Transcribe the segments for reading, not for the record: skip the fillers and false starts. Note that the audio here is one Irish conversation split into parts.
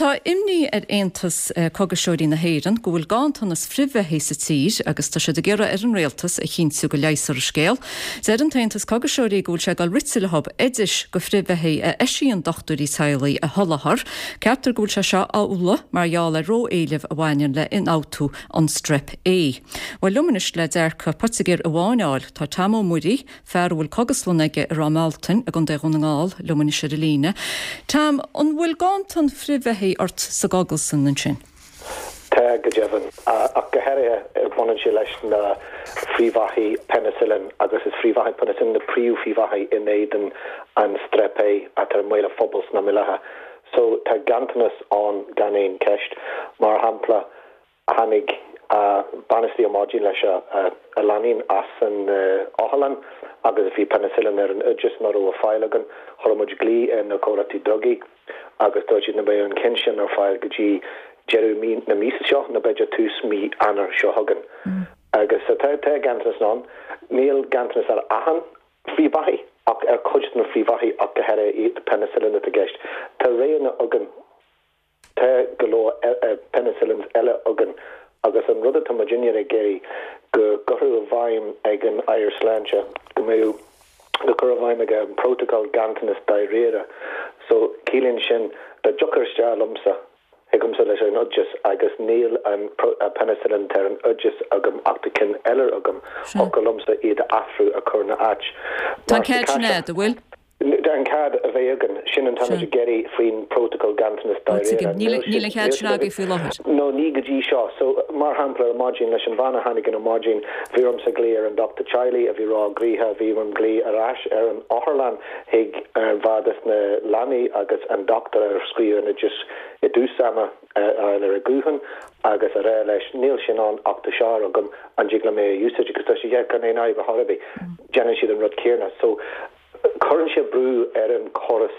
Tá imní ar Aontas Cógaiseoirí na hÉireann go bhfuil ganntanas frithbheathaí sa tír agus tá siad ag iarraidh ar an Rialtas a chinntiú go leigheasfar an scéal. Deir an tAontas Cógaiseoirí go bhfuil sé ag dul rite leo oidis go frithbheathaí a eisíonn dochtúirí teaghlaigh a sholáthar. Ceaptar go bhfuil sé seo amhlaidh mar gheall ar ró-éileamh a bhaineann le hionfhabhtú an Strep A. Bhuel liom anois le dearcadh poitigéir amháin a fháil tá Tom Ó Muirí, fear a bhfuil cogaslann aige i Ráth Mealtain i gContae Dhún na nGall, liom anois ar an líne. Tom, an bhfuil ganntan frithbheathaí ort sa gcogaslann ansin? Tá, go deimhin. Ach go háirithe baineann sé leis na frithbheathaí peinicillin agus is frithbheathaí peinicillin na príomh-fhrithbheathaí in éadan an Strep A atá i mbaol an phobail san am i láthair. So tá ganntanas ann gan aon cheist. Mar shampla, Tháinig bean istigh ar maidin leis a leainín as an otharlann agus bhí penicillin ar an oideas nach raibh ar fáil againn. Chuir muid glao ar na comhlachtaí drugaí agus dúirt siad nach mbeadh an ceann sin ar fáil go dtí deireadh mí na míosa seo nó b'fhéidir tús mí Eanáir seo chugainn. Agus tá ganntanas ann. Níl ganntanas ar achan frithbheathaí ach ar chuid de na frithbheathaí ach go háirithe penicillin atá i gceist. Tá roghanna againn. Tá go leor penicillins eile againn agus an rud atá muidinne ag iarraidh go gcuirfeadh i bhfeidhm ag an Aire Sláinte go mbeadh go cur i bhfeidhm aige an prótacal ganntanas dáiríre. So ciallaíonn sin dá dtiocfadh isteach liomsa chugamsa leis an oideas agus níl an penicillin atá ar an oideas agam ach tá ceann eile agam, thiocfadh liomsa iad a athrú a chur ina áit. Tá an cead sin agat, an bhfuil? An cead a bheith againn, sin an táimid ag iarraidh faoin prótacal ganntanas dáiríre. Níl an cead sin agaibh faoi láthair. No, ní go dtí seo. So, mar shampla, ar maidin, leis an bhean a tháinig in ar maidin, bhí ormsa glaoch ar an dochtúir teaghlaigh a bhí ró-ghnoitheach, bhí orm glaoch ar ais ar an otharlann chuig an bhean dos na leanaí agus an dochtúir a scríobh an oideas i dtús ama a fháil ar an ghuthán agus a rá leis, níl sin ann ach tá seo agam, an dtig liom é a úsáid? Agus dúirt sé, yeah, gan aon fhadhb ar chor ar bith. Déanann siad an rud céanna. So, Cuireann sé brú ar an chóras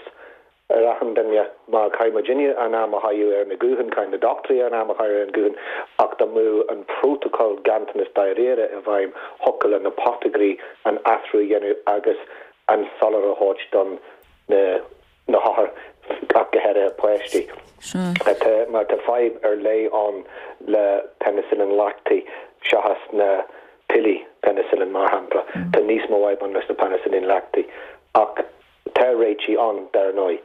ar achan duine mar caithfidh muidinne an am a chaitheamh ar na gutháin, caithfidh na dochtúirí an am a chaitheamh ar an guthán ach dá mbeadh an prótacal ganntanas dáiríre i bhfeidhm thiocfadh le na poitigéirí an athrú a dhéanamh agus an soláthar a thabhairt don na na hothair ach go háirithe páistí. Tá mar tá fadhb ar leith ann le peinicillin leachtaí seachas na piollaí peinicillin mar shampla. Tá níos mó fadhb ann leis na peinicillin leachtaí. Ach tá réitigh ann, dar ndóigh.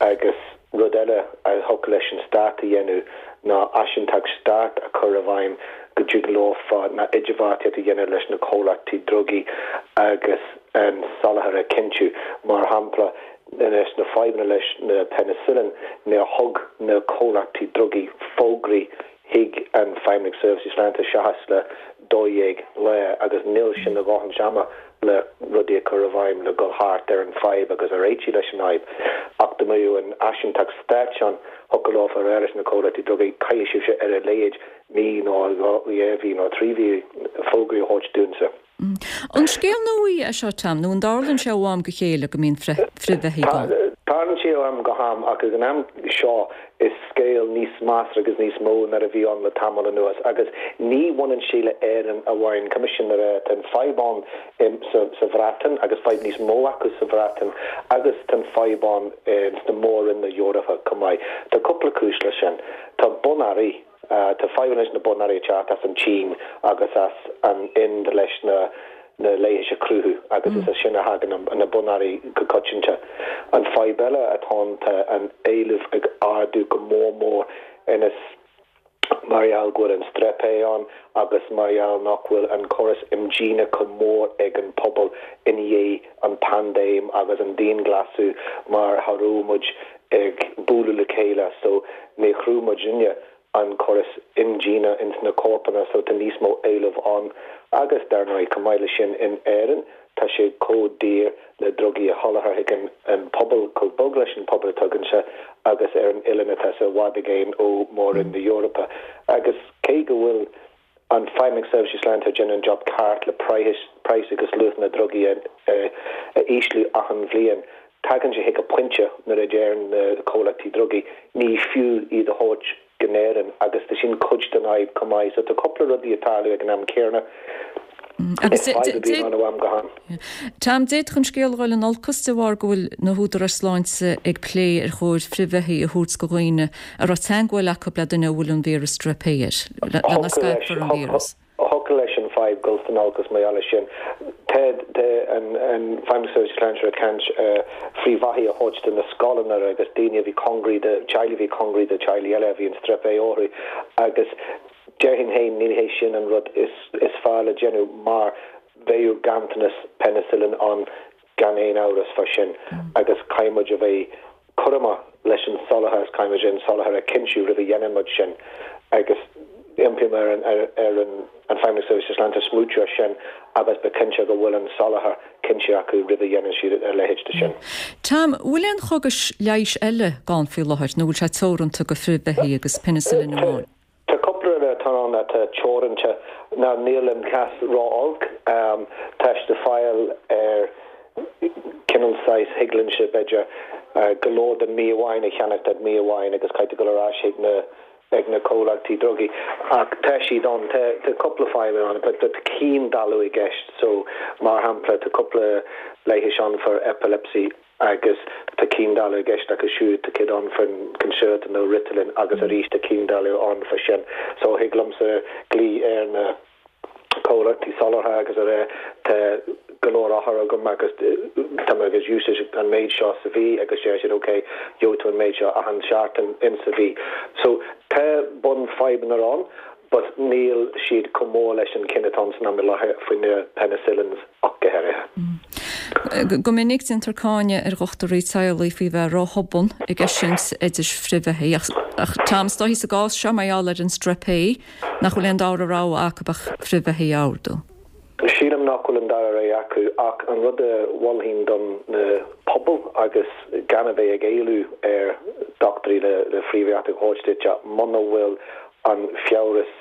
Agus rud eile a thiocfadh leis an stát a dhéanamh ná áisinteacht stáit a chur i bhfeidhm go dtig leofa na idirbheartaíocht a dhéanamh leis na comhlachtaí drugaí agus an soláthar a chinntiú. Mar shampla, leis na fadhbanna leis na peinicillin, níor thug na comhlachtaí drugaí fógraí chuig an Feidhmeannacht Seirbhísí Sláinte seachas le 12 lá agus níl sin a dhóthaint ama le rudaí a chur i bhfeidhm le dhul thart ar an fadhb agus a réitigh leis an fhadhb. Ach dá mbeadh an áisinteacht stáit ann, thiocfadh leofa a rá leis na comhlachtaí drugaí, caithfidh sibhse ar a laghad mí nó 2 mhí nó 3 mhí fógraí a thabhairt dúinnse. An scéal nua é seo, Tom, nó an dtarlaíonn sé ó am go chéile go mbíonn frithbheathaí gann? Tarlaíonn sé ó am go ham, ach ag an am seo is scéal níos measartha agus níos mó ná a bhí ann le tamall anuas. Agus ní bhaineann sé le Éirinn amháin, caithfidh sin a rá. Tá an fadhb ann sa Bhreatain agus fadhb níos mó acu sa Bhreatain agus tá an fadhb ann sna mór-roinn na hEorpa chomh maith. Tá cúpla cúis leis sin. Tá bonearraí. Tá fadhbanna leis na bonearraí ag teacht as an tSín agus as an Ind leis na na leighis a chruthú agus is as sin a thagann na bonearraí go coitianta. An fadhb eile atá ann tá an éileamh ag ardú go mór mór anois mar gheall go bhfuil an Strep A ann agus mar gheall nach bhfuil an córas imdhíonadh chomh mór ag an pobal i ndiaidh an paindéim agus an dianghlasú mar cha raibh muid ag bualadh le chéile so ní chruthaigh muidinne an córas imdhíonadh ins na corpanna so tá níos mó éileamh ann agus dar ndóigh chomh maith le sin in Éirinn tá sé chomh daor le drugaí a sholáthar chuig an an pobal chomh bog leis an pobal atá againse agus ar an oileán atá i bhfad i gcéin ó mór-roinn na hEorpa agus cé go bhfuil an Feidhmeannacht Seirbhísí Sláinte ag déanamh an job ceart le praghas agus luach na ndrugaí a ísliú achan bhliain. Tagann sé chuig a pointe nuair a deir na comhlachtaí drugaí ní fiú iad a thabhairt go nÉirinn agus tá sin cuid den fhadhb chomh maith. So tá cúpla rudaí ag tarlú ag an am céanna. Is fadhb a bhíonn ann ó am go ham. Tom, d'fhéadfadh an scéal a dhul in olcas de bharr go bhfuil na húdaráis sláinte ag plé ar chóir frithbheathaí a thabhairt do dhaoine a raibh teagmháil acu le duine a bhfuil an víreas Strep A air, le nach scaipfear an víreas. Thiocfadh leis an fadhb dul san olcas mar gheall air sin. Tá an Feidhmeannas Seirbhíse Sláinte ag caint ar frithbheathaí a thabhairt do na scoileanna agus daoine a bhí cóngaraí do teaghlaigh a bhí cóngaraí do teaghlaigh eile a bhí an Strep A orthu agus Déarfainn féin ní hé sin an rud is fearr le déanamh mar bheadh ganntanas penicillin ann gan aon amhras fá sin agus caithfidh muid a bheith cúramach leis an soláthar agus caithfidh muid an soláthar a chinntiú roimh a dhéanann muid sin agus impím ar an ar an Feidhmeannas Seirbhíse Sláinte smaoitiú ar sin agus bheith cinnte go bhfuil an soláthar cinnte acu roimh a dhéanann siad a leithéid de sin. Tom, bhfuil aon chógais leighis eile gann faoi láthair nó bhfuil sé teoranta go frithbheathaí agus penicillin amháin? Tá cúpla rud atá ann atá teoranta, ná níl an cás ró-olc. Tá siad le fáil ar cineál saghas, thig liomsa, b'fhéidir, go leor don mí amháin a cheannach don mí amháin agus caithfidh tú dul ar ais chuig na ag na comhlachtaí drugaí. Ach tá siad ann, tá tá cúpla fadhb ann, but tá ciondáileadh i gceist. So, mar shampla, tá cúpla leigheas ann for epilepsy. agus tá ciondáileadh i gceist acu siúd, tá cuid ann faoin Concerta nó Ritalin agus arís tá ciondáileadh ann fá sin. So thig liomsa glaoch ar na comhlachtaí soláthair agus a rá tá go leor othar agam agus tá mé ag úsáid an méid seo sa mhí agus deir siad ok gheobhaidh tú an méid seo achan seachtain in sa mhí. So tá bun fadhbanna ann but níl siad chomh mór leis an cinn atá ann san am i láthair faoi na penicillins ach go háirithe. Go minic déantar cáineadh ar dhochtúirí teaghlaigh faoi bheith ró-thobann ag eisiúint oidis frithbheathaí ach Tom, is dóichí sa gcás seo mar gheall ar an Strep A nach bhfuil aon dara rogha acu ach frithbheathaí a ordú. Sílim nach bhfuil an dara rogha acu ach an rud a mholfainn don na pobal agus gan a bheith ag éileamh ar dochtúirí le frithbheathaigh a thabhairt duit ach muna bhfuil an fiabhras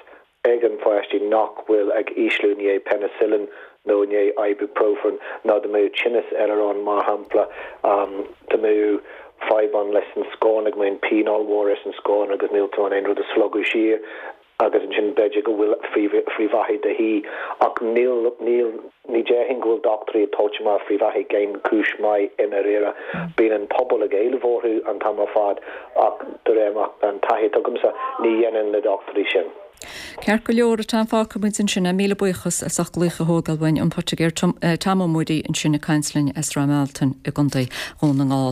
ag an pháistí nach bhfuil ag ísliú i ndiaidh penicillin nó i ndiaidh ibuprofen nó dá mbeadh tinneas eile ann mar shampla dá mbeadh fadhb ann leis an scornach go mbeadh pian ollmhór ar an scornach agus níl tú in ann aon rud a slogadh siar agus ansin b'fhéidir go bhfuil frithbheathaigh de dhíth, ach níl, níl, ní déarfainn go bhfuil dochtúirí ag tabhairt amach frithbheathaigh gan cúis maith i ndáiríre. Bíonn an pobal ag éileamh orthu an t-am ar fad ach de réir an taithí atá agamsa, ní dhéanann na dochtúirí sin. Ceart go leor, a Tom, fágfaidh muid ansin é. Míle buíochas as ucht glaoch a thógáil uainn, an Poitigéir Tom Ó Muirí ansin ag caint linn as Ráth Mealtain i gContae Dhún na nGall.